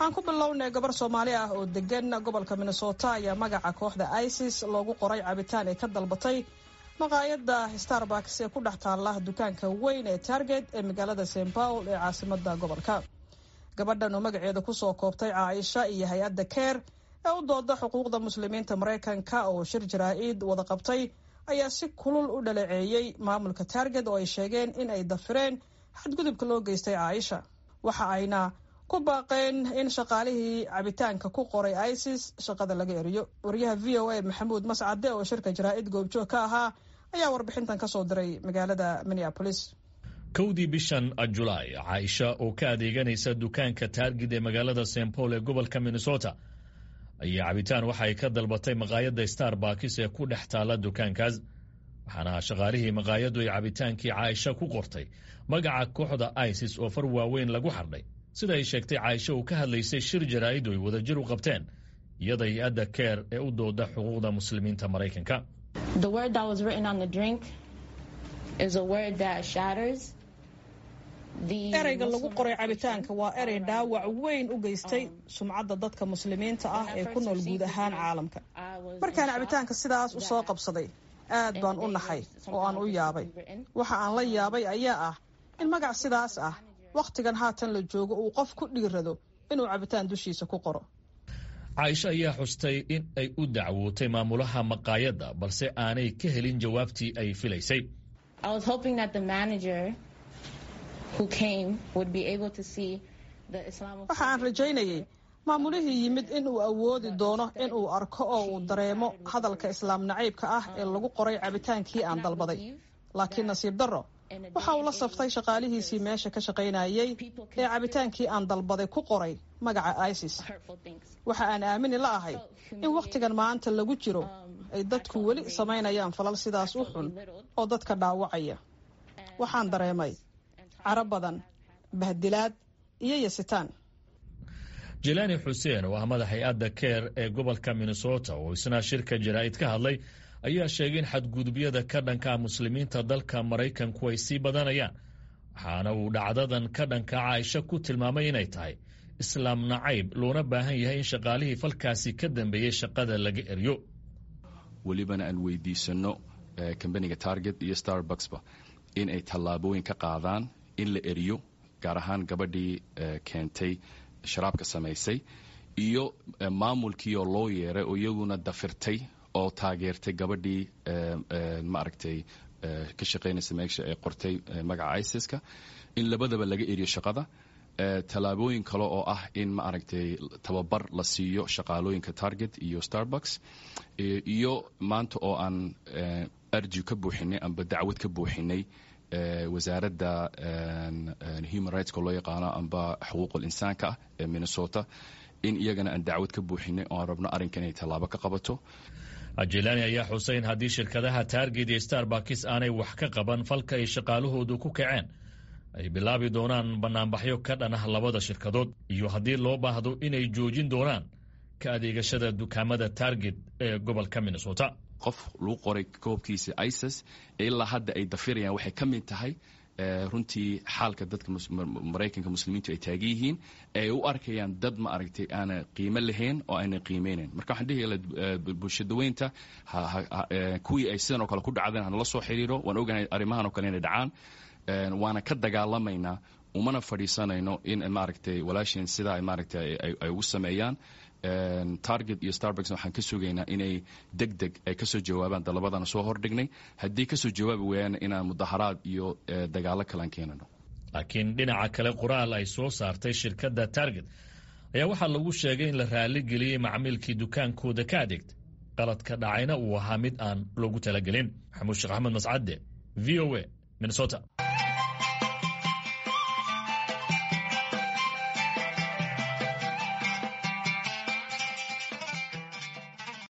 Aan ku bilownay, gabar Soomaali ah oo degan gobolka Minnesota ayaa magaca kooxda ISIS loogu qoray cabitaan ay ka dalbatay maqaayadda Starbucks ee ku dhex taalla dukaanka weyn ee Target ee magaalada St Paul ee caasimada gobolka. Gabadhan oo magaceeda kusoo koobtay Caaisha iyo hay-adda CAIR ee u dooda xuquuqda Muslimiinta Maraykanka oo shir jaraa-id wada qabtay ayaa si kulul u dhaleeceeyey maamulka Target oo ay sheegeen in ay dafireen xadgudubka loo geystay Caaisha. Waxa ayna ku baaqeen in shaqaalihii cabitaanka ku qoray ISIS shaqada laga eriyo. Wariyaha VOA Maxamuud Mascade oo shirka jaraa-id goobjoog ka ahaa ayaa warbixintan kasoo diray magaalada Minneapolis. 1dii bishan Julaay, Caaisha oo ka adeeganaysa dukaanka Target ee magaalada St Paul ee gobolka Minnesota ayaa cabitaan waxa ay ka dalbatay maqaayadda Starbucks ee ku dhex taalla dukaankaas, waxaana shaqaalihii maqaayaddu ay cabitaankii Caaisha ku qortay magaca kooxda ISIS oo far waaweyn lagu xardhay, sida ay sheegtay Caaisha uu ka hadlaysay shir jaraa'id ay wadajir u qabteen iyada hay-adda CAIR ee u dooda xuquuqda Muslimiinta Maraykanka. The word that was written on the drink is a word that shatters the Ereyga lagu qoray cabitaanka waa erey dhaawac weyn u geystay sumcadda dadka Muslimiinta ah ee ku nool guud ahaan caalamka. Markaan cabitaanka sidaas u soo qabsaday, aad baan u naxay oo aan u yaabay. Waxa aan la yaabay ayaa ah in magac sidaas ah wakhtigan haatan la joogo uu qof ku dhiirado inuu cabitaan dushiisa ku qoro. Caaisho ayaa xustay in ay u dacwootay maamulaha maqaayadda, balse aanay ka helin jawaabtii ay filaysay. I was hoping that the manager who came would be able to see the Islamophobia. Waxa aan rajaynayay maamulihii yimid in uu awoodi doono in uu arko oo uu dareemo hadalka Islaam nacaybka ah ee lagu qoray cabitaankii aan dalbaday, laakiin nasiib darro waxa uu la saftay shaqaalihiisii meesha ka shaqaynayay ee cabitaankii aan dalbaday ku qoray magaca ISIS. Hurtful things. Waxa aan aamini la ahay in wakhtigan maanta lagu jiro ay dadku weli samaynayaan falal sidaas u xun oo dadka dhaawacaya. Waxaan dareemay caro badan, bahdilaad iyo yasitaan. Jilaani Xuseen oo ah madax hay-adda CAIR ee gobolka Minnesota oo isna shirka jaraa'id ka hadlay ayaa sheegay in xadgudubyada ka dhanka Muslimiinta dalka Maraykanku ay sii badanayaan, waxaana uu dhacdadan ka dhanka Caaisha ku tilmaamay inay tahay Islaam nacayb, loona baahan yahay in shaqaalihii falkaasi ka dambeeyey shaqada laga eryo. Welibana aan weydiisano kambaniga Target iyo Starbucksba in ay tallaabooyin ka qaadaan in la eriyo, gaar ahaan gabadhii keentay sharaabka samaysay iyo maamulkii oo loo yeeray oo iyaguna dafirtay oo taageertay gabadhii, maaragtay, ka shaqaynaysa meesha ee qortay magaca ISIS-ka, in labadaba laga eriyo shaqada. Tallaabooyin kale oo ah in, maaragtay, tababar la siiyo shaqaalooyinka Target iyo Starbucks, iyo maanta oo aan arji ka buuxinay amba dacwad ka buuxinay wasaaradda human rightska loo yaqaano amba xuquuqul insaanka ah ee Minnesota, in iyagana aan dacwad ka buuxinay oo aan rabno arrinkan inay tallaabo ka qabato. Jilaani ayaa xusay in haddii shirkadaha Target iyo Starbucks aanay wax ka qaban falka ay shaqaalahoodu ku kaceen, ay bilaabi doonaan bannaanbaxyo ka dhan ah labada shirkadood, iyo haddii loo baahdo inay joojin doonaan ka adeegashada dukaamada Target ee gobolka Minnesota. Qof lagu qoray koobkiisa ISIS ilaa hadda ay dafirayaan waxay ka mid tahay runtii xaalka dadka Maraykanka Muslimiintu ay taagan yihiin, ay u arkayaan dad, ma aragtay, aana qiimo lahayn oo aanay qiimeynayn. Marka waxaan dhihi bulshadaweynta kuwii ay sidan oo kale ku dhacdeen hanala soo xiriiro. Waan ogahay arrimahan oo kale inay dhacaan, waana ka dagaalamaynaa, umana fadhiisanayno in, maaragtay, walaasheen sidaa, maaragtay, ay ugu sameeyaan. Target iyo Starbucks waxaan ka sugaynaa inay deg deg ay kasoo jawaabaan dalabadana soo hordhignay. Haddii kasoo jawaabi waayaan, inaan mudaharaad iyo dagaalo kalean keenano. Laakiin dhinaca kale, qoraal ay soo saartay shirkadda Target ayaa waxaa lagu sheegay in la raaligeliyey macmiilkii dukaankooda ka adeegtay, qaladka dhacayna uu ahaa mid aan loogu talagelin. Maxamuud Sheekh Axmed Mascade, VOA, Minnesota.